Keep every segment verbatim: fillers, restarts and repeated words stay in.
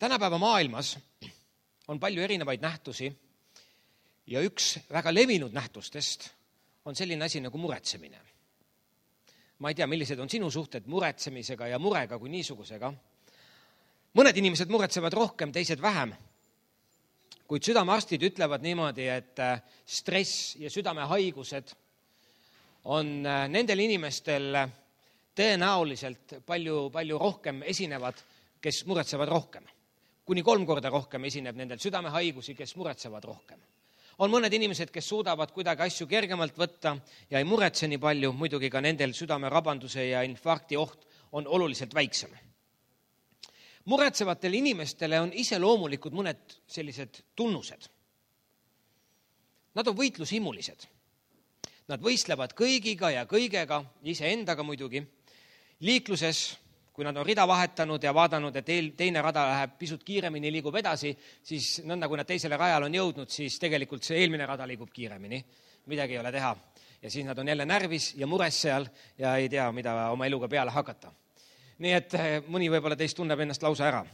Tänapäeva maailmas on palju erinevaid nähtusi ja üks väga levinud nähtustest on selline asi nagu muretsemine. Ma ei tea, millised on sinu suhted muretsemisega ja murega kui niisugusega. Mõned inimesed muretsevad rohkem, teised vähem. Kuid südamearstid ütlevad niimoodi, et stress ja südamehaigused on nendel inimestel tõenäoliselt palju, palju rohkem esinevad, kes muretsevad rohkem. Kuni kolm korda rohkem esineb nendel südamehaigusi, kes muretsevad rohkem. On mõned inimesed, kes suudavad kuidagi asju kergemalt võtta ja ei muretse nii palju, muidugi ka nendel südamerabanduse ja infarkti oht on oluliselt väiksem. Muretsevatele inimestele on iseloomulikud mõned sellised tunnused. Nad on võitlushimulised. Nad võistlevad kõigiga ja kõigega, iseendaga muidugi. Liikluses, kui nad on rida vahetanud ja vaadanud, et teine rada läheb pisut kiiremini, liigub edasi, siis nõnda, kui nad teisele rajal on jõudnud, siis tegelikult see eelmine rada liigub kiiremini. Midagi ei ole teha. Ja siis nad on jälle närvis ja mures seal ja ei tea, mida oma eluga peale hakata. Nii et mõni võib-olla teist tunneb ennast lausa ära.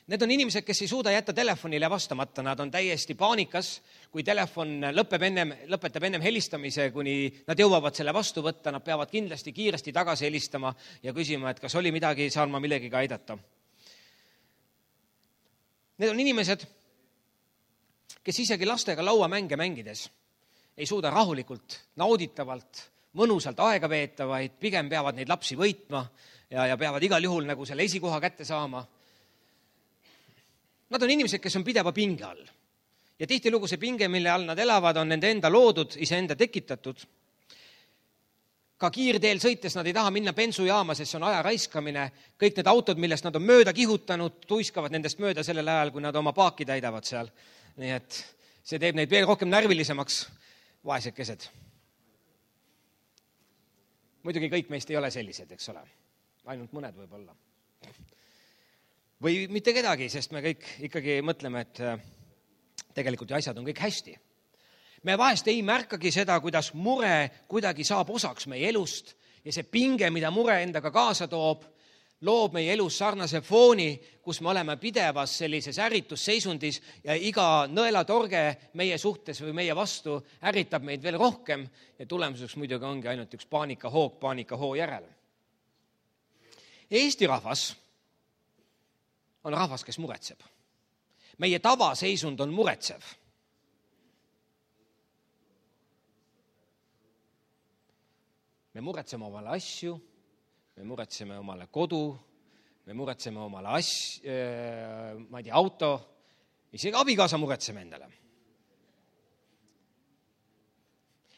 Need on inimesed, kes ei suuda jätta telefonile vastamata. Nad on täiesti paanikas, kui telefon lõpeb ennem, lõpetab ennem helistamise, kuni nad jõuavad selle vastu võtta. Nad peavad kindlasti kiiresti tagasi helistama ja küsima, et kas oli midagi, saan ma millegiga aidata. Need on inimesed, kes isegi lastega lauamänge mängides ei suuda rahulikult, nauditavalt, mõnusalt aega veeta, vaid pigem peavad neid lapsi võitma ja, ja peavad igal juhul nagu selle esikoha kätte saama. Nad on inimesed, kes on pideva pinge all. Ja tihtilugu see pinge, mille all nad elavad, on nende enda loodud, iseenda tekitatud. Ka kiirteel sõites nad ei taha minna bensujaama, sest see on aja raiskamine. Kõik need autod, millest nad on mööda kihutanud, tuiskavad nendest mööda sellel ajal, kui nad oma paaki täidavad seal. Nii et see teeb neid veel rohkem närvilisemaks, vaesekesed. Muidugi kõik meist ei ole sellised, eks ole. Ainult mõned võib olla. Või mitte kedagi, sest me kõik ikkagi mõtleme, et tegelikult asjad on kõik hästi. Me vahest ei märkagi seda, kuidas mure kuidagi saab osaks meie elust ja see pinge, mida mure endaga kaasa toob, loob meie elus sarnase fooni, kus me oleme pidevas sellises ärritusseisundis ja iga nõelatorge meie suhtes või meie vastu ärritab meid veel rohkem ja tulemuseks muidugi ongi ainult üks paanikahoog paanikahoo järel. Eesti rahvas on rahvas, kes muretseb. Meie tavaseisund on muretsev. Me muretseme omale asju, me muretseme omale kodu, me muretseme omale asju, ma ei tea, auto, isegi abikaasa muretseme endale.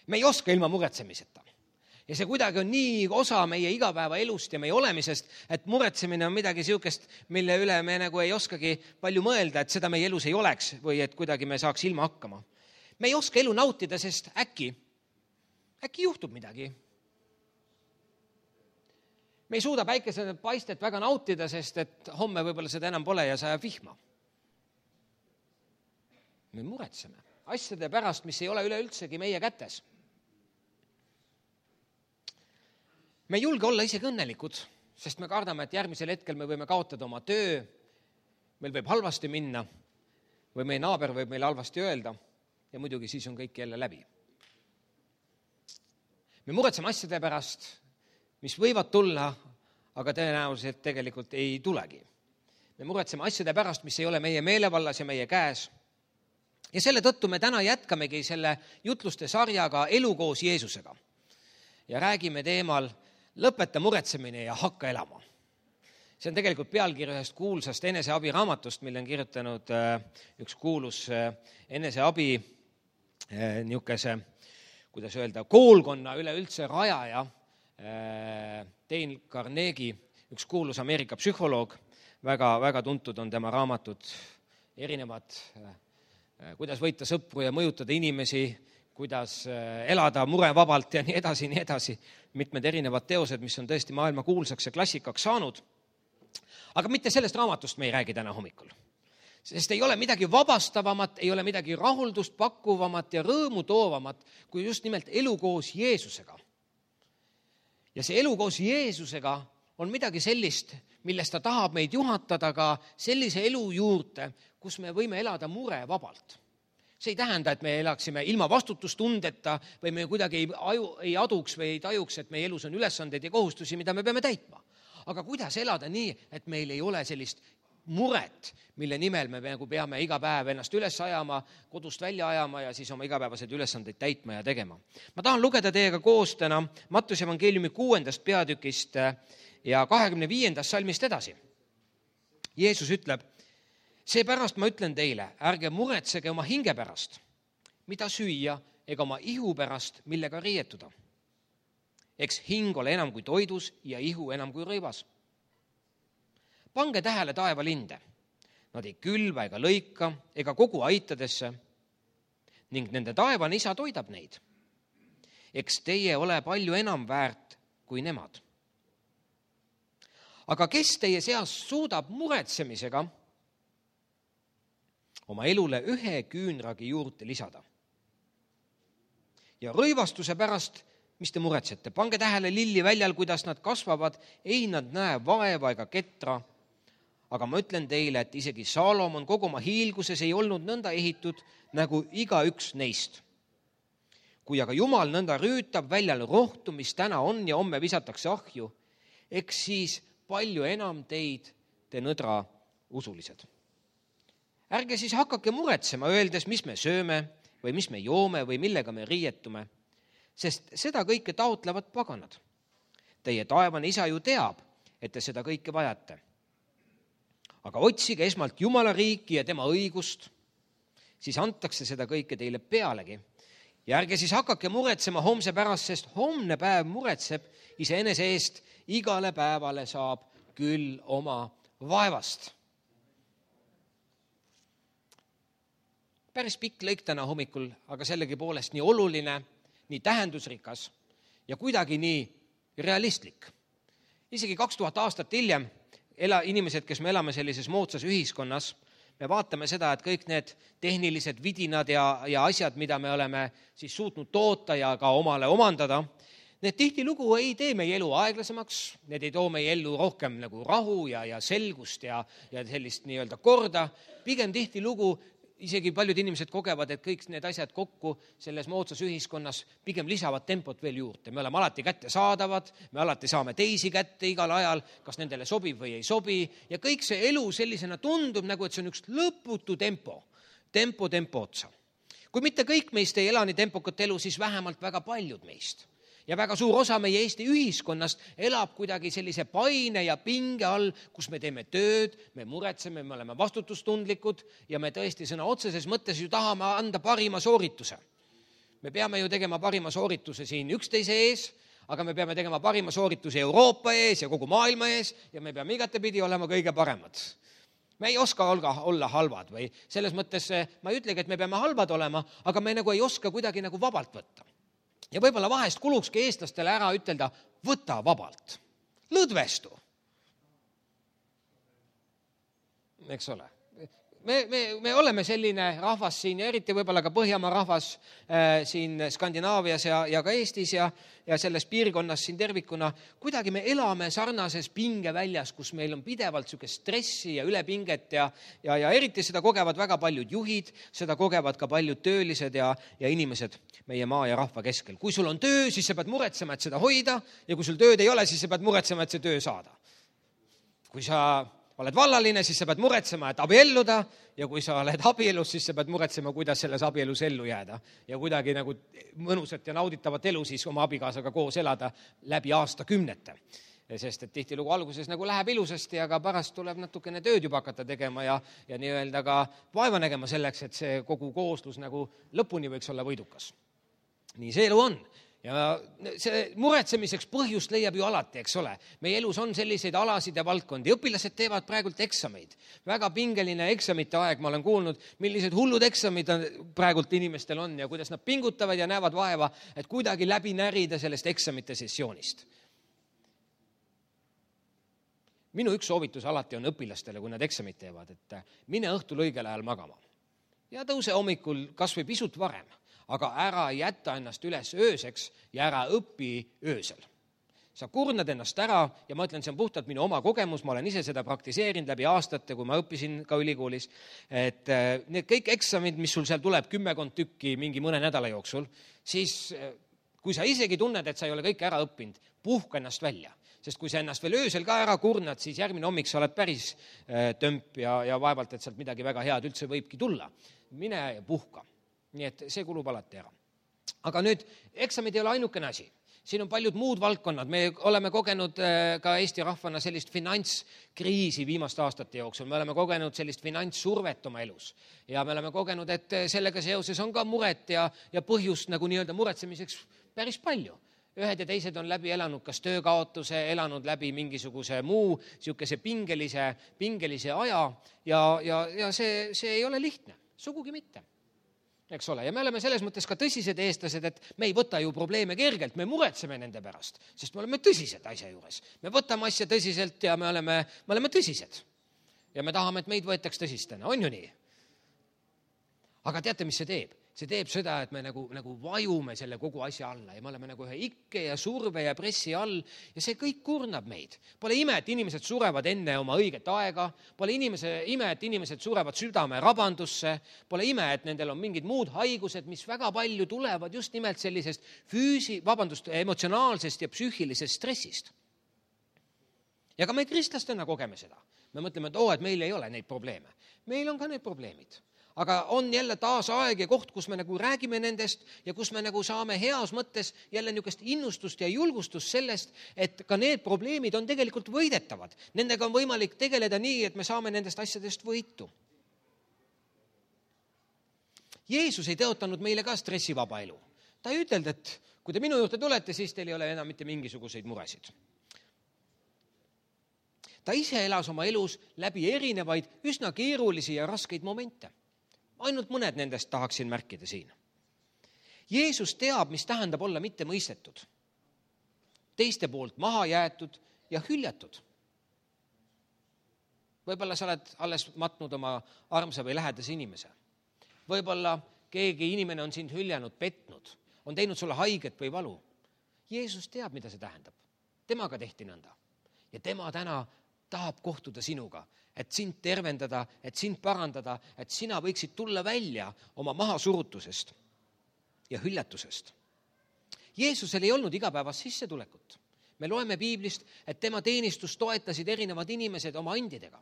Me ei oska ilma muretsemiseta. Ja see kuidagi on nii osa meie igapäeva elust ja meie olemisest, et muretsemine on midagi siukest, mille üle me nagu ei oskagi palju mõelda, et seda meie elus ei oleks või et kuidagi me saaks ilma hakkama. Me ei oska elu nautida, sest äkki, äkki juhtub midagi. Me ei suuda päikese paistet väga nautida, sest et homme võib-olla seda enam pole ja sajab vihma. Me muretseme asjade pärast, mis ei ole üleüldsegi meie kätes. Me ei julge olla isegi õnnelikud, sest me kardame, et järgmisel hetkel me võime kaotada oma töö, meil võib halvasti minna või meie naaber võib meile halvasti öelda ja muidugi siis on kõik jälle läbi. Me muretseme asjade pärast, mis võivad tulla, aga tõenäoliselt tegelikult ei tulegi. Me muretseme asjade pärast, mis ei ole meie meelevallas ja meie käes. Ja selle tõttu me täna jätkamegi selle jutluste sarjaga Elu koos Jeesusega ja räägime teemal Lõpeta muretsemine ja hakka elama. See on tegelikult pealkiri ühest kuulsast eneseabi raamatust, mille on kirjutanud üks kuulus eneseabi niukese, kuidas öelda, koolkonna üleüldse rajaja, Dale Carnegie, üks kuulus Ameerika psühholoog, väga, väga tuntud on tema raamatud, erinevad, kuidas võita sõpru ja mõjutada inimesi, kuidas elada murevabalt ja nii edasi, nii edasi. Mitmed erinevad teosed, mis on tõesti maailma kuulsaks ja klassikaks saanud. Aga mitte sellest raamatust me ei räägi täna hommikul. Sest ei ole midagi vabastavamat, ei ole midagi rahuldust pakkuvamat ja rõõmu toovamat, kui just nimelt elu koos Jeesusega. Ja see elu koos Jeesusega on midagi sellist, millest ta tahab meid juhatada ka sellise elu juurde, kus me võime elada murevabalt. See ei tähenda, et me elaksime ilma vastutustundeta või me kuidagi ei, aju, ei aduks või ei tajuks, et meie elus on ülesandeid ja kohustusi, mida me peame täitma. Aga kuidas elada nii, et meil ei ole sellist muret, mille nimel me nagu peame iga päev ennast üles ajama, kodust välja ajama ja siis oma igapäevased ülesandeid täitma ja tegema. Ma tahan lugeda teiega koos täna Mattuse evangeeliumi kuuendast peatükist ja kahekümne viiendast salmist edasi. Jeesus ütleb, seepärast ma ütlen teile, ärge muretsege oma hinge pärast, mida süüa, ega oma ihu pärast, millega riietuda. Eks hing ole enam kui toidus ja ihu enam kui rõivas. Pange tähele taevalinde. Nad ei külva ega lõika ega kogu aitadesse ning nende taevane isa toidab neid. Eks teie ole palju enam väärt kui nemad. Aga kes teie seas suudab muretsemisega oma elule ühe küünragi juurde lisada? Ja rõivastuse pärast, mis te muretsete? Pange tähele lilli väljal, kuidas nad kasvavad, ei nad näe vaeva ega ketra. Aga ma ütlen teile, et isegi Saalomon kogu oma hiilguses ei olnud nõnda ehitud nagu iga üks neist. Kui aga Jumal nõnda rüütab väljal rohtu, mis täna on ja homme visatakse ahju, eks siis palju enam teid, te nõdra usulised. Ärge siis hakake muretsema, öeldes, mis me sööme või mis me joome või millega me riietume, sest seda kõike taotlevad paganad. Teie taevane isa ju teab, et te seda kõike vajate. Aga otsige esmalt Jumala riiki ja tema õigust, siis antakse seda kõike teile pealegi. Ja ärge siis hakake muretsema homse pärast, sest homne päev muretseb iseenese eest, igale päevale saab küll oma vaevast. Päris pikk lõik täna hommikul, aga sellegi poolest nii oluline, nii tähendusrikas ja kuidagi nii realistlik. Isegi kaks tuhat aastat hiljem ela, inimesed, kes me elame sellises moodsas ühiskonnas, me vaatame seda, et kõik need tehnilised vidinad ja, ja asjad, mida me oleme siis suutnud toota ja ka omale omandada, need tihtilugu ei tee meie elu aeglasemaks, need ei too meie ellu rohkem nagu rahu ja, ja selgust ja, ja sellist nii-öelda korda. Pigem tihtilugu isegi paljud inimesed kogevad, et kõik need asjad kokku selles moodsas ühiskonnas pigem lisavad tempot veel juurde. Me oleme alati kätte saadavad, me alati saame teisi kätte igal ajal, kas nendele sobib või ei sobi. Ja kõik see elu sellisena tundub nagu, et see on üks lõputu tempo, tempo, tempo otsa. Kui mitte kõik meist ei ela nii tempokat elu, siis vähemalt väga paljud meist. Ja väga suur osa meie Eesti ühiskonnast elab kuidagi sellise paine ja pinge all, kus me teeme tööd, me muretseme, me oleme vastutustundlikud ja me tõesti sõna otseses mõttes ju tahame anda parima soorituse. Me peame ju tegema parima soorituse siin üksteise ees, aga me peame tegema parima soorituse Euroopa ees ja kogu maailma ees ja me peame igatepidi olema kõige paremad. Me ei oska olla, olla halvad või selles mõttes ma ei ütlegi, et me peame halvad olema, aga me nagu ei oska kuidagi nagu vabalt võtta. Ja võib-olla vahest kulukski eestlastele ära ütelda, võta vabalt, lõdvestu. Eks ole. Me, me, me oleme selline rahvas siin ja eriti võib-olla ka Põhjamaa rahvas äh, siin Skandinaavias ja, ja ka Eestis ja, ja selles piirkonnas siin tervikuna. Kuidagi me elame sarnases pingeväljas, kus meil on pidevalt sükest stressi ja ülepinget ja, ja, ja eriti seda kogevad väga paljud juhid, seda kogevad ka paljud töölised ja, ja inimesed meie maa ja rahva keskel. Kui sul on töö, siis sa pead muretsema, et seda hoida ja kui sul tööd ei ole, siis sa pead muretsema, et see töö saada. Kui sa oled vallaline, siis sa pead muretsema, et abielluda ja kui sa oled abielus, siis sa pead muretsema, kuidas selles abielus ellu jääda ja kuidagi nagu mõnusat ja nauditavat elu siis oma abikaasaga koos elada läbi aastakümnete. Sest et tihtilugu alguses nagu läheb ilusasti, aga pärast tuleb natukene tööd juba hakata tegema ja, ja nii-öelda ka vaeva nägema selleks, et see kogu kooslus nagu lõpuni võiks olla võidukas. Nii see elu on. Ja see muretsemiseks põhjust leiab ju alati, eks ole. Meie elus on selliseid alasid ja valdkondi. Õpilased teevad praegult eksameid. Väga pingeline eksamite aeg, ma olen kuulnud, millised hullud eksamid praegult inimestel on ja kuidas nad pingutavad ja näevad vaeva, et kuidagi läbi närida sellest eksamite sessioonist. Minu üks soovitus alati on õpilastele, kui nad eksamid teevad, et mine õhtul õigel ajal magama. Ja tõuse hommikul kas või pisut varem. Aga ära jätta ennast üles ööseks ja ära õpi öösel. sa kurnad ennast ära ja ma ütlen, see on puhtalt minu oma kogemus, ma olen ise seda praktiseerinud läbi aastate, kui ma õppisin ka ülikoolis, et need kõik eksamid, mis sul seal tuleb kümmekond tükki mingi mõne nädala jooksul, siis kui sa isegi tunned, et sa ei ole kõik ära õppinud, puhka ennast välja. Sest kui sa ennast veel öösel ka ära kurnad, siis järgmine hommik sa oled päris tömp ja, ja vaevalt, et sealt midagi väga head üldse võibki tulla. Mine ja puhka. Nii et see kulub alati ära. Aga nüüd, eksamid ei ole ainukene asi. Siin on paljud muud valdkonnad. Me oleme kogenud ka Eesti rahvana sellist finantskriisi viimaste aastate jooksul. Me oleme kogenud sellist finantssurvet oma elus. Ja me oleme kogenud, et sellega seoses on ka muret ja, ja põhjust nagu nii-öelda muretsemiseks päris palju. Ühed ja teised on läbi elanud kas töökaotuse, elanud läbi mingisuguse muu siukese pingelise, pingelise aja ja, ja, ja see, see ei ole lihtne. Sugugi mitte. Eks ole, ja me oleme selles mõttes ka tõsised eestlased, et me ei võta ju probleeme kergelt, me muretseme nende pärast, sest me oleme tõsised asja juures. Me võtame asja tõsiselt ja me oleme, me oleme tõsised. Ja me tahame, et meid võetaks tõsistena, on ju nii? Aga teate, mis see teeb? See teeb seda, et me nagu, nagu vajume selle kogu asja alla ja me oleme nagu ühe ikke ja surve ja pressi all ja see kõik kurnab meid. Pole ime, et inimesed surevad enne oma õiget aega, pole inimese, ime, et inimesed surevad südame rabandusse, pole ime, et nendel on mingid muud haigused, mis väga palju tulevad just nimelt sellisest füüsi, vabandust, emotsionaalsest ja psüühilisest stressist. Ja ka me kristlastena kogeme seda. Me mõtleme, et oo, et meil ei ole neid probleeme. Meil on ka need probleemid. Aga on jälle taas aeg ja koht, kus me nagu räägime nendest ja kus me nagu saame heas mõttes jälle niisugust innustust ja julgustust sellest, et ka need probleemid on tegelikult võidetavad. Nendega on võimalik tegeleda nii, et me saame nendest asjadest võitu. Jeesus ei tõotanud meile ka stressivaba elu. Ta ei ütelnud, et kui te minu juurde tulete, siis teil ei ole enam mitte mingisuguseid muresid. Ta ise elas oma elus läbi erinevaid üsna keerulisi ja raskeid momente. Ainult mõned nendest tahaksin märkida siin. Jeesus teab, mis tähendab olla mitte mõistetud, teiste poolt maha jäetud ja hüljatud. Võib-olla sa oled alles matnud oma armsa või lähedase inimese. Võib-olla keegi inimene on sind hüljanud, petnud, on teinud sulle haiget või valu. Jeesus teab, mida see tähendab. Temaga tehti nõnda. Ja tema täna tahab kohtuda sinuga, et sind tervendada, et sind parandada, et sina võiksid tulla välja oma mahasurutusest ja hüljatusest. Jeesusel ei olnud igapäevast sissetulekut. Me loeme piiblist, et tema teenistus toetasid erinevad inimesed oma andidega.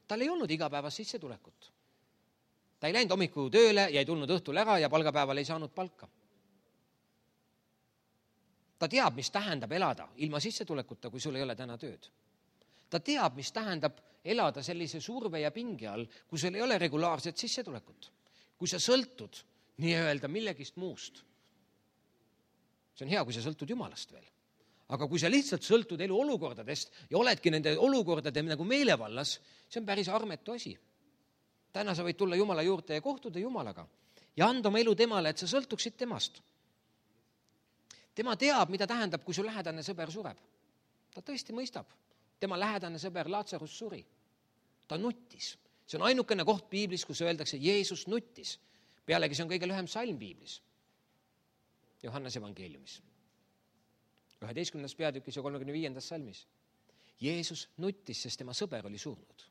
Tal ei olnud igapäevast sissetulekut. Ta ei läinud hommiku tööle ja ei tulnud õhtul ära ja palgapäeval ei saanud palka. Ta teab, mis tähendab elada ilma sissetulekuta, kui sul ei ole täna tööd. Ta teab, mis tähendab elada sellise surve ja pingi all, kui sul ei ole regulaarset sissetulekut. Kui sa sõltud nii-öelda millegist muust. See on hea, kui sa sõltud Jumalast veel. Aga kui sa lihtsalt sõltud elu olukordadest ja oledki nende olukordade nagu meelevallas, see on päris armetu asi. Täna sa võid tulla Jumala juurde ja kohtuda Jumalaga ja anda oma elu temale, et sa sõltuksid temast. Tema teab, mida tähendab, kui su lähedane sõber sureb. Ta tõesti mõistab. Tema lähedane sõber Laatsarus suri. Ta nuttis. See on ainukene koht piiblis, kus öeldakse, Jeesus nuttis. Pealegi see on kõige lühem salm piiblis. Johannes evangeeliumis. üheteistkümnendas peatükis ja kolmekümne viiendas salmis. Jeesus nuttis, sest tema sõber oli surnud.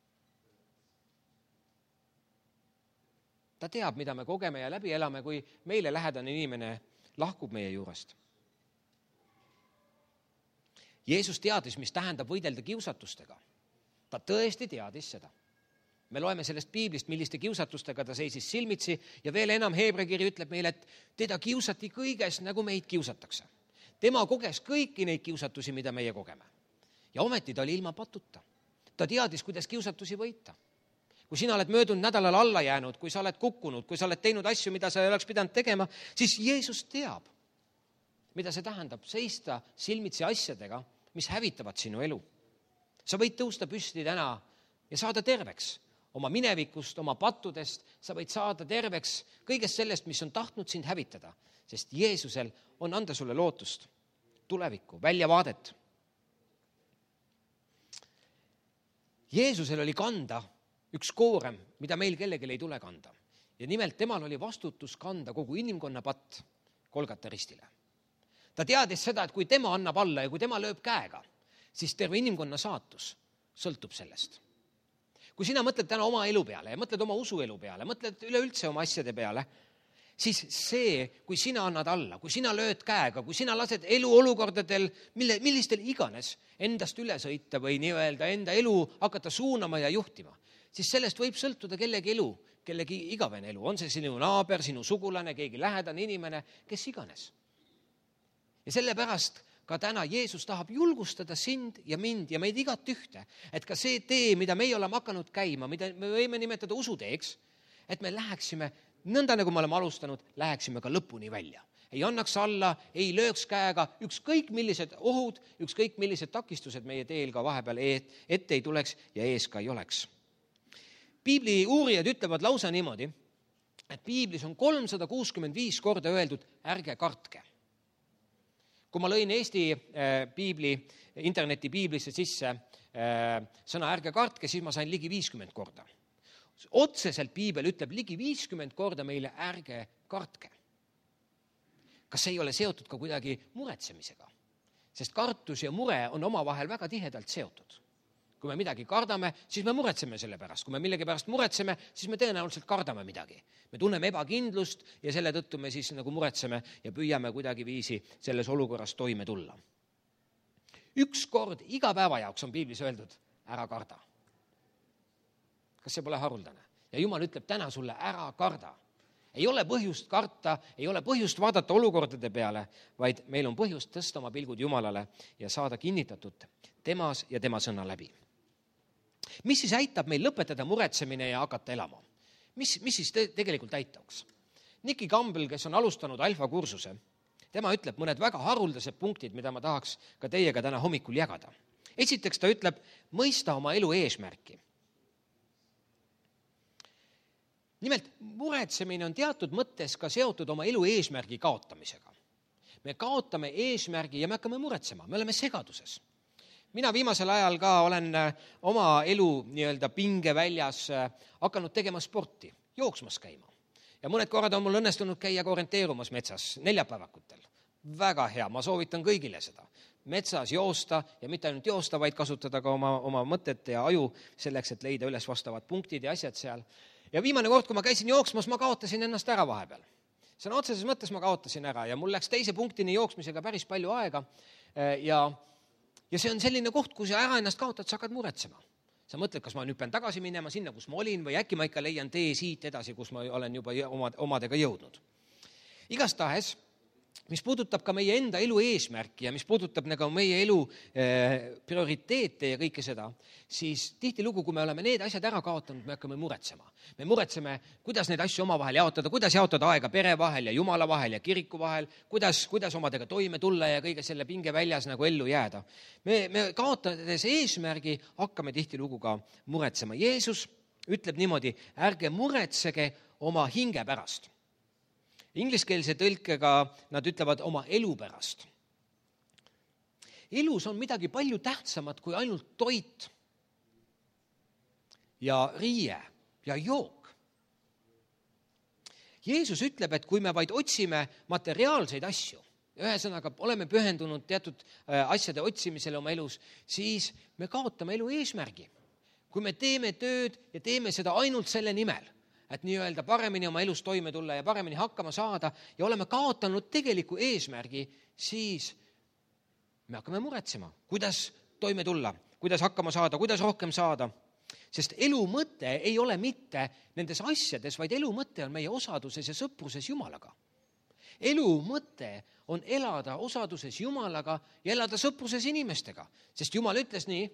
Ta teab, mida me kogeme ja läbi elame, kui meile lähedane inimene lahkub meie juurest. Jeesus teadis, mis tähendab võidelda kiusatustega. Ta tõesti teadis seda. Me loeme sellest piiblist, milliste kiusatustega ta seisis silmitsi ja veel enam Heebra kiri ütleb meile, et teda kiusati kõiges, nagu meid kiusatakse. Tema koges kõiki neid kiusatusi, mida meie kogeme. Ja ometi ta oli ilma patuta. Ta teadis, kuidas kiusatusi võita. Kui sina oled möödunud nädalal alla jäänud, kui sa oled kukkunud, kui sa oled teinud asju, mida sa ei oleks pidanud tegema, siis Jeesus teab, mida see tähendab seista silmitsi asjadega, mis hävitavad sinu elu. Sa võid tõusta püsti täna ja saada terveks oma minevikust, oma pattudest, sa võid saada terveks kõigest sellest, mis on tahtnud sind hävitada, sest Jeesusel on anda sulle lootust, tulevikku, väljavaadet. Jeesusel oli kanda üks koorem, mida meil kellelegi ei tule kanda. Ja nimelt temal oli vastutus kanda kogu inimkonna patt Golgata ristile. ta teadis seda, et kui tema annab alla ja kui tema lööb käega, siis terve inimkonna saatus sõltub sellest. Kui sina mõtled täna oma elu peale ja mõtled oma usuelu peale, mõtled üleüldse oma asjade peale, siis see, kui sina annad alla, kui sina lööd käega, kui sina lased elu olukordadel, mille, millistel iganes endast üle sõita või nii-öelda enda elu hakata suunama ja juhtima, siis sellest võib sõltuda kellegi elu, kellegi igavene elu. On see sinu naaber, sinu sugulane, keegi lähedane inimene, kes iganes. Ja sellepärast ka täna Jeesus tahab julgustada sind ja mind ja meid igat ühte, et ka see tee, mida meie oleme hakanud käima, mida me võime nimetada usuteeks, et me läheksime, nõnda nagu me oleme alustanud, läheksime ka lõpuni välja. Ei annaks alla, ei lööks käega, ükskõik millised ohud, ükskõik millised takistused meie teel ka vahepeal ette ei tuleks ja ees ka ei oleks. Piibli uurijad ütlevad lausa niimoodi, et piiblis on kolmsada kuuskümmend viis korda öeldud, ärge kartke. Kui ma lõin Eesti piibli, interneti piiblisse sisse sõna ärge kartke, siis ma sain ligi viiskümmend korda. Otseselt piibel ütleb ligi viiskümmend korda meile ärge kartke. Kas see ei ole seotud ka kuidagi muretsemisega? Sest kartus ja mure on omavahel väga tihedalt seotud. Kui me midagi kardame, siis me muretseme selle pärast. Kui me millegi pärast muretseme, siis me tõenäoliselt kardame midagi. Me tunneme ebakindlust ja selle tõttu me siis nagu muretseme ja püüame kuidagi viisi selles olukorras toime tulla. Üks kord iga päeva jaoks on piiblis öeldud, ära karda. Kas see pole haruldane? Ja Jumal ütleb täna sulle, ära karda. Ei ole põhjust karta, ei ole põhjust vaadata olukordade peale, vaid meil on põhjust tõsta oma pilgud Jumalale ja saada kinnitatud temas ja tema sõna läbi. Mis siis aitab meil lõpetada muretsemine ja hakata elama? Mis, mis siis te, tegelikult aitaks? Nicky Campbell, kes on alustanud alfa kursuse, tema ütleb mõned väga haruldased punktid, mida ma tahaks ka teiega täna hommikul jagada. Esiteks ta ütleb, mõista oma elu eesmärki. Nimelt, muretsemine on teatud mõttes ka seotud oma elu eesmärgi kaotamisega. Me kaotame eesmärgi ja me hakkame muretsema, me oleme segaduses. Mina viimasel ajal ka olen oma elu nii-öelda pinge väljas hakanud tegema sporti, jooksmas käima. Ja mõned korrad on mul õnnestunud käia ka orienteerumas metsas neljapäevakutel. Väga hea, ma soovitan kõigile seda. Metsas joosta ja mitte ainult joosta, vaid kasutada ka oma, oma mõtete ja aju selleks, et leida üles vastavad punktid ja asjad seal. Ja viimane kord, kui ma käisin jooksmas, ma kaotasin ennast ära vahepeal. Sõna otseses mõttes ma kaotasin ära ja mul läks teise punktini jooksmisega päris palju aega ja Ja see on selline koht, kui sa ära ennast kaotad, sa hakkad muretsema. Sa mõtled, kas ma nüüd pean tagasi minema sinna, kus ma olin või äkki ma ikka leian tee siit edasi, kus ma olen juba omadega jõudnud. Igastahes, mis puudutab ka meie enda elu eesmärki ja mis puudutab nagu meie elu prioriteete ja kõike seda, siis tihtilugu, kui me oleme need asjad ära kaotanud, me hakkame muretsema. Me muretseme, kuidas neid asju omavahel jaotada, kuidas jaotada aega pere vahel ja Jumala vahel ja kiriku vahel, kuidas, kuidas omadega toime tulla ja kõige selle pinge väljas nagu ellu jääda. Me, me kaotades eesmärgi hakkame tihtilugu ka muretsema. Jeesus ütleb niimoodi, ärge muretsege oma hinge pärast. Ingliskeelse tõlkega nad ütlevad oma elu pärast. Elus on midagi palju tähtsamat kui ainult toit ja riie ja jook. Jeesus ütleb, et kui me vaid otsime materiaalseid asju, ühesõnaga oleme pühendunud teatud asjade otsimisele oma elus, siis me kaotame elu eesmärgi. Kui me teeme tööd ja teeme seda ainult selle nimel, et nii-öelda paremini oma elus toime tulla ja paremini hakkama saada ja oleme kaotanud tegeliku eesmärgi, siis me hakkame muretsema, kuidas toime tulla, kuidas hakkama saada, kuidas rohkem saada. Sest elu mõte ei ole mitte nendes asjades, vaid elu mõte on meie osaduses ja sõpruses Jumalaga. Elu mõte on elada osaduses Jumalaga ja elada sõpruses inimestega, sest Jumal ütles nii,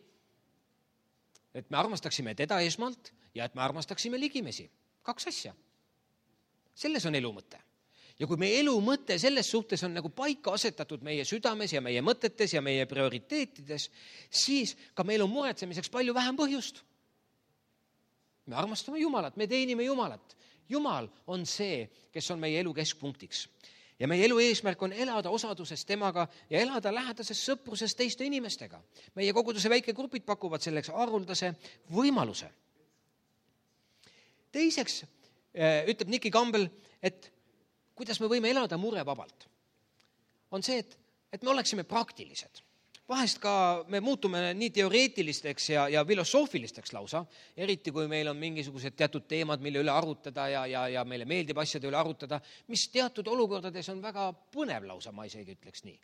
et me armastaksime teda esmalt ja et me armastaksime ligimesi. Kaks asja. Selles on elu mõte. Ja kui meie elu mõte selles suhtes on nagu paika asetatud meie südames ja meie mõtetes ja meie prioriteetides, siis ka meil on muretsemiseks palju vähem põhjust. Me armastame Jumalat, me teenime Jumalat. Jumal on see, kes on meie elu keskpunktiks. Ja meie elu eesmärk on elada osaduses temaga ja elada lähedases sõpruses teiste inimestega. Meie koguduse väikegrupid pakuvad selleks haruldase võimaluse. Teiseks ütleb Nicky Campbell, et kuidas me võime elada murevabalt. On see, et et me oleksime praktilised. Vahest ka me muutume nii teoreetilisteks ja, ja filosoofilisteks lausa, eriti kui meil on mingisugused teatud teemad, mille üle arutada ja, ja, ja meile meeldib asjade üle arutada, mis teatud olukordades on väga põnev lausa, ma isegi ütleks nii.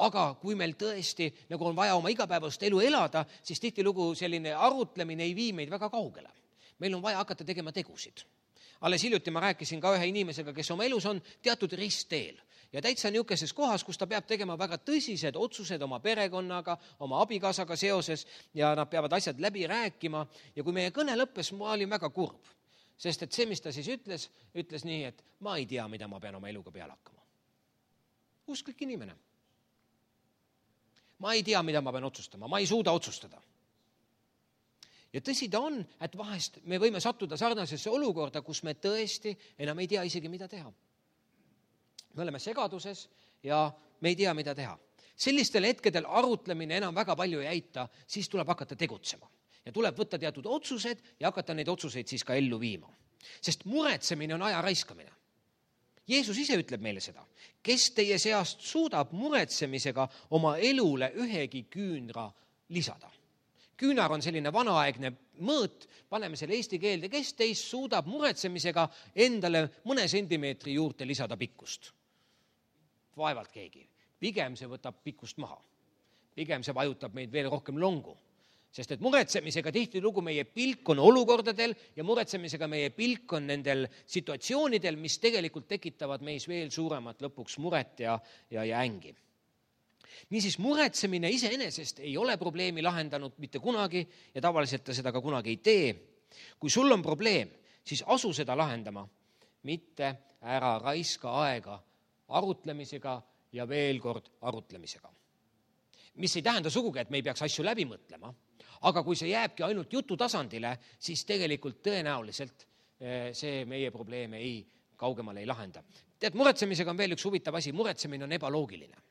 Aga kui meil tõesti nagu on vaja oma igapäevast elu elada, siis tihtilugu selline arutlemine ei vii meid väga kaugele. Meil on vaja hakata tegema tegusid. Alles hiljuti ma rääkisin ka ühe inimesega, kes oma elus on teatud ristteel ja täitsa niisuguses kohas, kus ta peab tegema väga tõsised otsused oma perekonnaga, oma abikaasaga seoses ja nad peavad asjad läbi rääkima. Ja kui meie kõne lõppes, ma olin väga kurb, sest et see, mis ta siis ütles, ütles nii, et ma ei tea, mida ma pean oma eluga peale hakkama. Usklik inimene. Ma ei tea, mida ma pean otsustama, ma ei suuda otsustada. Ja tõsi ta on, et vahest me võime sattuda sarnasesse olukorda, kus me tõesti enam ei tea isegi, mida teha. Me oleme segaduses ja me ei tea, mida teha. Sellistel hetkedel arutlemine enam väga palju ei aita, siis tuleb hakata tegutsema. Ja tuleb võtta teatud otsused ja hakata neid otsuseid siis ka ellu viima. Sest muretsemine on aja raiskamine. Jeesus ise ütleb meile seda, kes teie seast suudab muretsemisega oma elule ühegi küünra lisada. Küünar on selline vanaaegne mõõt, paneme selle eesti keelde, kes teist suudab muretsemisega endale mõne sentimeetri juurde lisada pikkust. Vaevalt keegi. Pigem see võtab pikkust maha. Pigem see vajutab meid veel rohkem longu. Sest et muretsemisega tihtilugu meie pilk on olukordadel ja muretsemisega meie pilk on nendel situatsioonidel, mis tegelikult tekitavad meis veel suuremat lõpuks muret ja, ja, ja ängi. Niisiis muretsemine iseenesest ei ole probleemi lahendanud mitte kunagi ja tavaliselt ta seda ka kunagi ei tee. Kui sul on probleem, siis asu seda lahendama, mitte ära raiska aega arutlemisega ja veel kord arutlemisega. Mis ei tähenda sugugi, et me ei peaks asju läbi mõtlema, aga kui see jääbki ainult jutu tasandile, siis tegelikult tõenäoliselt see meie probleeme ei kaugemale ei lahenda. Tead, muretsemisega on veel üks huvitav asi, muretsemine on ebaloogiline.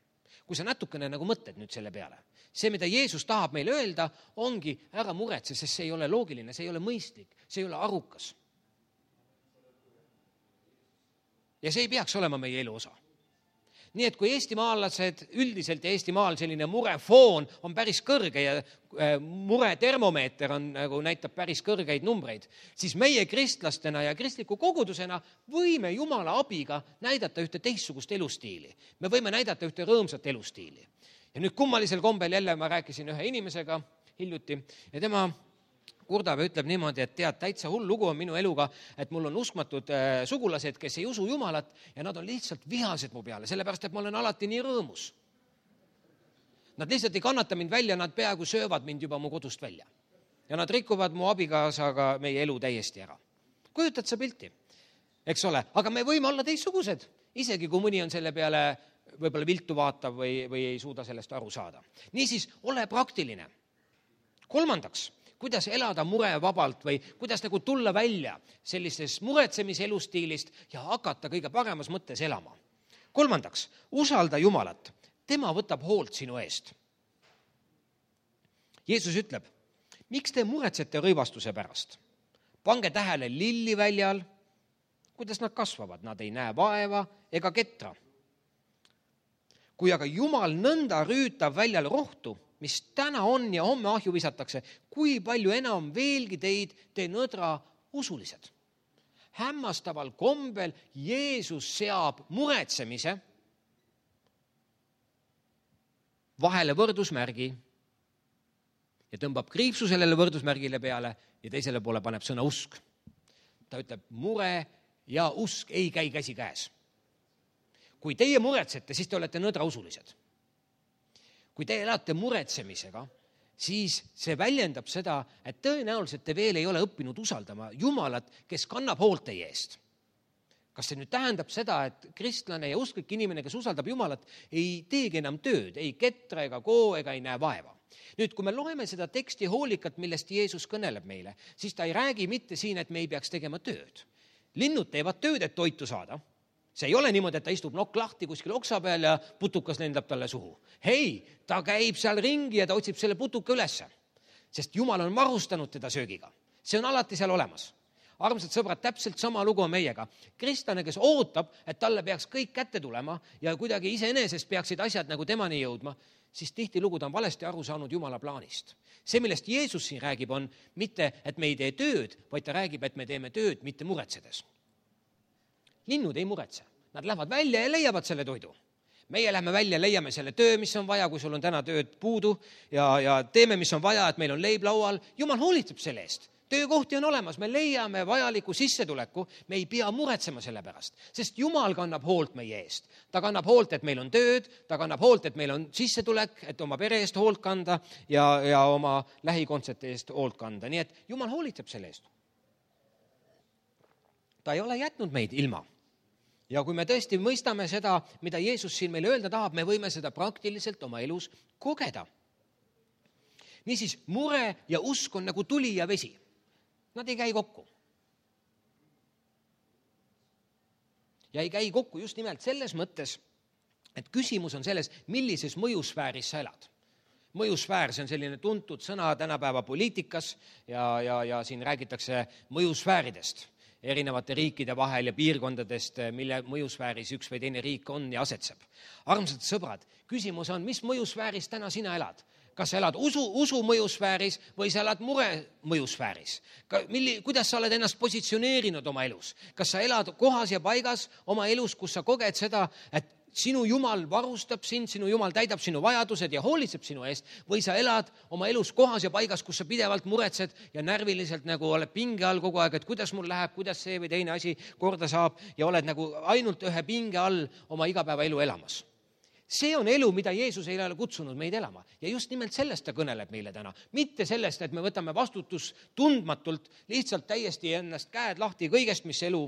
Kui sa natukene nagu mõtled nüüd selle peale, see, mida Jeesus tahab meile öelda, ongi ära muretse, sest see ei ole loogiline, see ei ole mõistlik, see ei ole arukas. Ja see ei peaks olema meie elu osa. Nii et kui eestimaalased üldiselt ja Eestimaal selline murefoon on päris kõrge ja muretermomeeter on, nagu näitab päris kõrgeid numbreid, siis meie kristlastena ja kristliku kogudusena võime Jumala abiga näidata ühte teistsugust elustiili. Me võime näidata ühte rõõmsat elustiili. Ja nüüd kummalisel kombel jälle ma rääkisin ühe inimesega hiljuti ja tema kurdab ja ütleb niimoodi, et tead, täitsa hull lugu on minu eluga, et mul on uskmatud äh, sugulased, kes ei usu Jumalat ja nad on lihtsalt vihased mu peale, sellepärast, et ma olen alati nii rõõmus. Nad lihtsalt ei kannata mind välja, nad peaaegu söövad mind juba mu kodust välja. Ja nad rikuvad mu abikaasaga meie elu täiesti ära. Kujutad sa pilti? Eks ole, aga me võime olla teistsugused, isegi kui mõni on selle peale võib-olla viltu vaatav või, või ei suuda sellest aru saada. Niisiis, ole praktiline. Kolmandaks, kuidas elada murevabalt või kuidas nagu tulla välja sellisest muretsemise elustiilist ja hakata kõige paremas mõttes elama. Kolmandaks, usalda Jumalat. Tema võtab hoolt sinu eest. Jeesus ütleb, miks te muretsete rõivastuse pärast? Pange tähele lilliväljal, kuidas nad kasvavad. Nad ei näe vaeva ega ketra. Kui aga Jumal nõnda rüütab väljal rohtu, mis täna on ja homme ahju visatakse, kui palju enam veelgi teid te nõdra usulised. Hämmastaval kombel Jeesus seab muretsemise vahele võrdusmärgi ja tõmbab kriipsu sellele võrdusmärgile peale ja teisele poole paneb sõna usk. Ta ütleb, mure ja usk ei käi käsi käes. Kui teie muretsete, siis te olete nõdra usulised. Kui te elate muretsemisega, siis see väljendab seda, et tõenäoliselt te veel ei ole õppinud usaldama Jumalat, kes kannab hoolt teie eest. Kas see nüüd tähendab seda, et kristlane ja usklik inimene, kes usaldab Jumalat, ei teegi enam tööd, ei ketra ega koo ega ei näe vaeva? Nüüd, kui me loeme seda teksti hoolikalt, millest Jeesus kõneleb meile, siis ta ei räägi mitte siin, et me ei peaks tegema tööd. Linnud teevad tööd, et toitu saada. See ei ole niimoodi, et ta istub nokk lahti kuskil oksa peal ja putukas lendab talle suhu. Hei, ta käib seal ringi ja ta otsib selle putuka ülesse, sest Jumal on varustanud teda söögiga. See on alati seal olemas. armsad sõbrad, täpselt sama lugu on meiega. Kristlane, kes ootab, et talle peaks kõik kätte tulema ja kuidagi iseenesest peaksid asjad nagu temani jõudma, siis tihtilugu ta on valesti aru saanud Jumala plaanist. See, millest Jeesus siin räägib, on mitte, et me ei tee tööd, vaid ta räägib, et me teeme tööd mitte muretsedes. Linnud ei muretse. Nad lähevad välja ja leiavad selle toidu. Meie lähme välja, leiame selle töö, mis on vaja, kui sul on täna tööd puudu ja, ja teeme, mis on vaja, et meil on leib laual. Jumal hoolitseb selle eest. Töökohti on olemas, me leiame vajaliku sissetuleku, me ei pea muretsema selle pärast, sest Jumal kannab hoolt meie eest. Ta kannab hoolt, et meil on tööd, ta kannab hoolt, et meil on sissetulek, et oma pere eest hoolt kanda ja, ja oma lähikondsete eest hoolt kanda. Nii et Jumal hoolitseb selle eest. Ta ei ole jätnud meid ilma. Ja kui me tõesti mõistame seda, mida Jeesus siin meile öelda tahab, me võime seda praktiliselt oma elus kogeda. Niisiis, mure ja usk on nagu tuli ja vesi. Nad ei käi kokku. Ja ei käi kokku just nimelt selles mõttes, et küsimus on selles, millises mõjusfääris sa elad. Mõjusfäär, see on selline tuntud sõna tänapäeva poliitikas ja, ja, ja siin räägitakse mõjusfääridest erinevate riikide vahel ja piirkondadest, mille mõjusfääris üks või teine riik on ja asetseb. Armsad sõbrad, küsimus on, mis mõjusfääris täna sina elad? Kas sa elad usu, usu mõjusfääris või sa elad mure mõjusfääris? Milli, kuidas sa oled ennast positsioneerinud oma elus? Kas sa elad kohas ja paigas oma elus, kus sa koged seda, et sinu Jumal varustab sind, sinu Jumal täidab sinu vajadused ja hoolitseb sinu eest, või sa elad oma elus kohas ja paigas, kus sa pidevalt muretsed ja närviliselt nagu oled pinge all kogu aeg, et kuidas mul läheb, kuidas see või teine asi korda saab ja oled nagu ainult ühe pinge all oma igapäevaelu elamas. See on elu, mida Jeesus ei ole kutsunud meid elama ja just nimelt sellest ta kõneleb meile täna. Mitte sellest, et me võtame vastutus tundmatult, lihtsalt täiesti ennast käed lahti kõigest, mis elu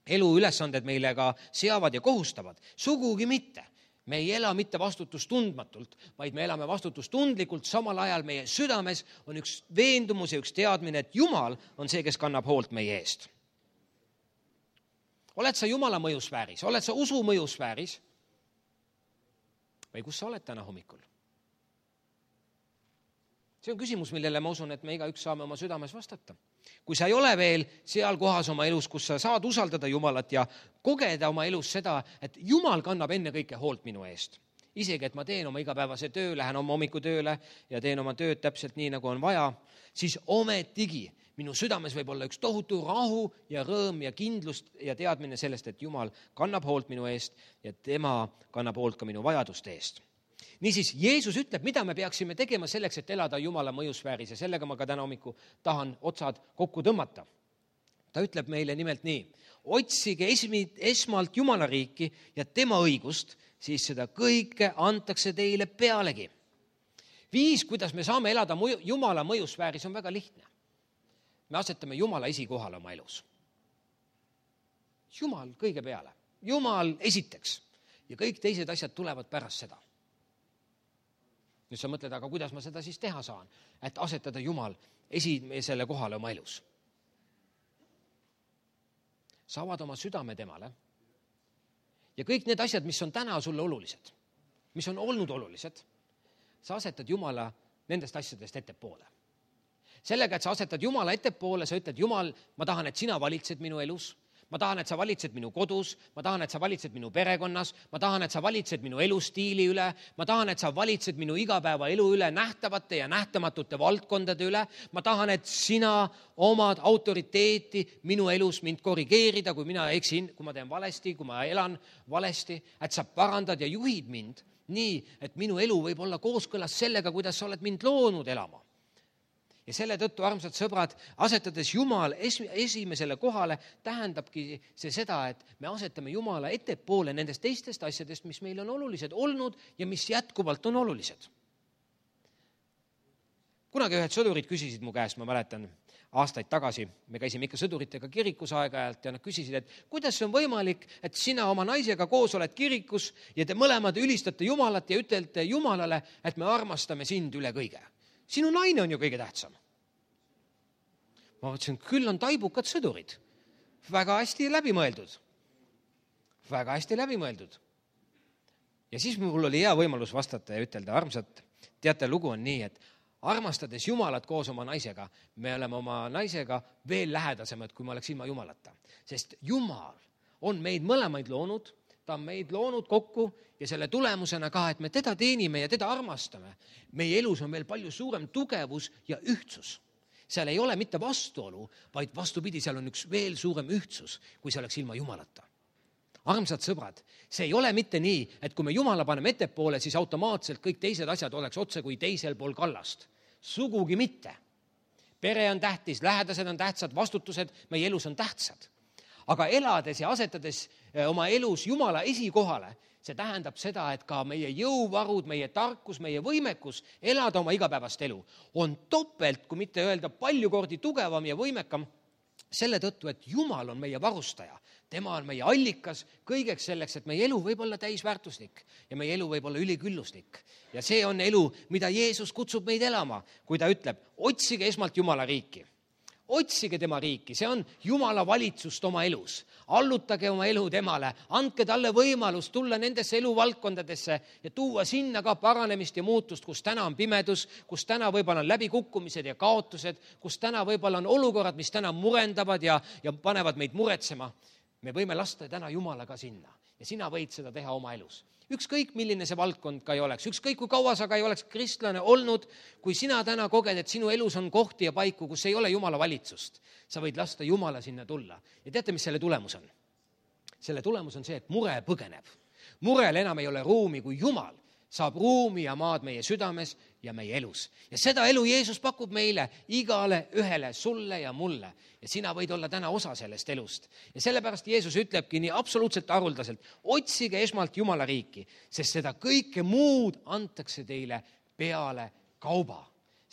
elu ülesanded meile ka seavad ja kohustavad. Sugugi mitte. Me ei ela mitte vastutustundmatult, vaid me elame vastutustundlikult. Samal ajal meie südames on üks veendumus ja üks teadmine, et Jumal on see, kes kannab hoolt meie eest. Oled sa Jumala mõjusfääris? Oled sa usu mõjusfääris? Või kus sa oled täna hommikul? See on küsimus, millele ma usun, et me iga üks saame oma südames vastata. Kui sa ei ole veel seal kohas oma elus, kus sa saad usaldada Jumalat ja kogeda oma elus seda, et Jumal kannab enne kõike hoolt minu eest. Isegi, et ma teen oma igapäevase töö, lähen oma hommikutööle ja teen oma tööd täpselt nii, nagu on vaja, siis ometigi minu südames võib olla üks tohutu rahu ja rõõm ja kindlust ja teadmine sellest, et Jumal kannab hoolt minu eest ja tema kannab hoolt ka minu vajaduste eest. Niisiis, Jeesus ütleb, mida me peaksime tegema selleks, et elada Jumala mõjusfääris ja sellega ma ka täna hommiku tahan otsad kokku tõmmata. Ta ütleb meile nimelt nii, otsige esmi, esmalt Jumala riiki ja tema õigust, siis seda kõike antakse teile pealegi. Viis, kuidas me saame elada mõju, Jumala mõjusfääris, on väga lihtne. Me asetame Jumala esikohale oma elus. Jumal kõige peale. Jumal esiteks ja kõik teised asjad tulevad pärast seda. Nüüd sa mõtled, aga kuidas ma seda siis teha saan, et asetada Jumal esimesele kohale oma elus. Sa avad oma südame temale ja kõik need asjad, mis on täna sulle olulised, mis on olnud olulised, sa asetad Jumala nendest asjadest ettepoole. Sellega, et sa asetad Jumala ettepoole, sa ütled, Jumal, ma tahan, et sina valitsed minu elus. Ma tahan, et sa valitsed minu kodus, ma tahan, et sa valitsed minu perekonnas, ma tahan, et sa valitsed minu elustiili üle, ma tahan, et sa valitsed minu igapäeva elu üle, nähtavate ja nähtamatute valdkondade üle, ma tahan, et sina omad autoriteeti minu elus mind korrigeerida, kui mina eksin, kui ma teen valesti, kui ma elan valesti, et sa parandad ja juhid mind nii, et minu elu võib olla kooskõlas sellega, kuidas sa oled mind loonud elama. Ja selle tõttu, armsad sõbrad, asetades Jumal esimesele kohale, tähendabki see seda, et me asetame Jumala ettepoole nendest teistest asjadest, mis meil on olulised olnud ja mis jätkuvalt on olulised. Kunagi ühed sõdurid küsisid mu käest, ma mäletan, aastaid tagasi, me käisime ikka sõduritega kirikus aeg-ajalt ja nad küsisid, et kuidas on võimalik, et sina oma naisega koos oled kirikus ja te mõlemad ülistate Jumalat ja ütlete Jumalale, et me armastame sind üle kõige. Sinu naine on ju kõige tähtsam. Ma mõtlesin, küll on taibukad sõdurid. Väga hästi läbi mõeldud. Väga hästi läbi mõeldud. Ja siis mul oli hea võimalus vastata ja ütelda, armsad, teate, lugu on nii, et armastades Jumalat koos oma naisega, me oleme oma naisega veel lähedasemad, kui me oleks ilma Jumalata. Sest Jumal on meid mõlemaid loonud, ta on meid loonud kokku ja selle tulemusena ka, et me teda teenime ja teda armastame. Meie elus on veel palju suurem tugevus ja ühtsus. Seal ei ole mitte vastuolu, vaid vastupidi, seal on üks veel suurem ühtsus, kui see oleks ilma Jumalata. Armsad sõbrad, see ei ole mitte nii, et kui me Jumala paneme ettepoole, siis automaatselt kõik teised asjad oleks otse kui teisel pool kallast. Sugugi mitte. Pere on tähtis, lähedased on tähtsad, vastutused meie elus on tähtsad. Aga elades ja asetades oma elus Jumala esikohale, see tähendab seda, et ka meie jõuvarud, meie tarkus, meie võimekus elada oma igapäevast elu on topelt, kui mitte öelda palju kordi tugevam ja võimekam, selle tõttu, et Jumal on meie varustaja. Tema on meie allikas kõigeks selleks, et meie elu võib olla täisväärtuslik ja meie elu võib olla ülikülluslik. Ja see on elu, mida Jeesus kutsub meid elama, kui ta ütleb, otsige esmalt Jumala riiki. Otsige tema riiki, see on Jumala valitsust oma elus. Allutage oma elu temale, andke talle võimalus tulla nendesse eluvaldkondadesse ja tuua sinna ka paranemist ja muutust, kus täna on pimedus, kus täna võib-olla on läbikukkumised ja kaotused, kus täna võib-olla on olukorrad, mis täna murendavad ja, ja panevad meid muretsema. Me võime lasta täna Jumalaga sinna ja sina võid seda teha oma elus. Ükskõik, milline see valdkond ka ei oleks, ükskõik kui kaua sa ka ei oleks kristlane olnud, kui sina täna koged, et sinu elus on kohti ja paiku, kus ei ole Jumala valitsust, sa võid lasta Jumala sinna tulla. Ja teate, mis selle tulemus on? Selle tulemus on see, et mure põgeneb. Murel enam ei ole ruumi, kui Jumal saab ruumi ja maad meie südames ja meie elus. Ja seda elu Jeesus pakub meile, igale ühele, sulle ja mulle. Ja sina võid olla täna osa sellest elust. Ja sellepärast Jeesus ütlebki nii absoluutselt aruldaselt, otsige esmalt Jumala riiki, sest seda kõike muud antakse teile peale kauba.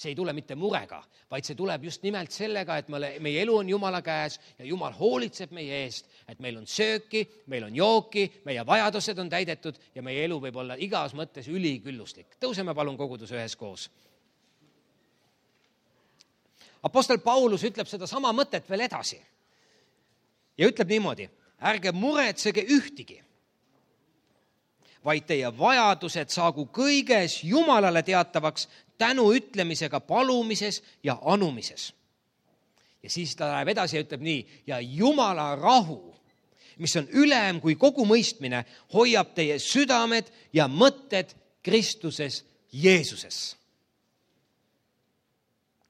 See ei tule mitte murega, vaid see tuleb just nimelt sellega, et meie elu on Jumala käes ja Jumal hoolitseb meie eest, et meil on sööki, meil on jooki, meie vajadused on täidetud ja meie elu võib olla igas mõttes ülikülluslik. Tõuseme palun kogudus ühes koos. Apostel Paulus ütleb seda sama mõtet veel edasi ja ütleb niimoodi, ärge muretsege ühtigi, vaid teie vajadused saagu kõiges Jumalale teatavaks tänu ütlemisega palumises ja anumises. Ja siis ta läheb edasi ja ütleb nii, ja Jumala rahu, mis on ülem kui kogu mõistmine, hoiab teie südamed ja mõtted Kristuses Jeesuses.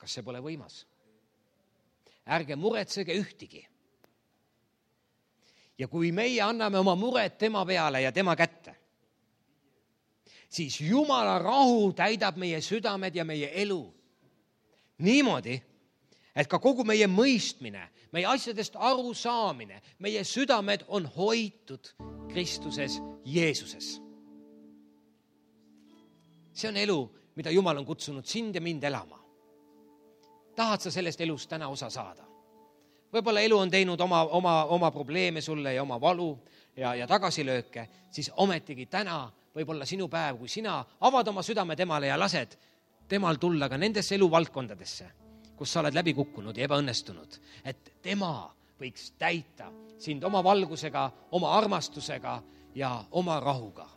Kas see pole võimas? Ärge muretsege ühtigi. Ja kui meie anname oma mured tema peale ja tema kätte, siis Jumala rahu täidab meie südamed ja meie elu niimoodi, et ka kogu meie mõistmine, meie asjadest aru saamine, meie südamed on hoitud Kristuses Jeesuses. See on elu, mida Jumal on kutsunud sind ja mind elama. Tahad sa sellest elust täna osa saada? Võib-olla elu on teinud oma, oma, oma probleeme sulle ja oma valu ja, ja tagasilööke, siis ometigi täna võib olla sinu päev, kui sina avad oma südame temale ja lased temal tulla ka nendesse eluvaldkondadesse, kus sa oled läbi kukkunud ja ebaõnnestunud, et tema võiks täita sind oma valgusega, oma armastusega ja oma rahuga.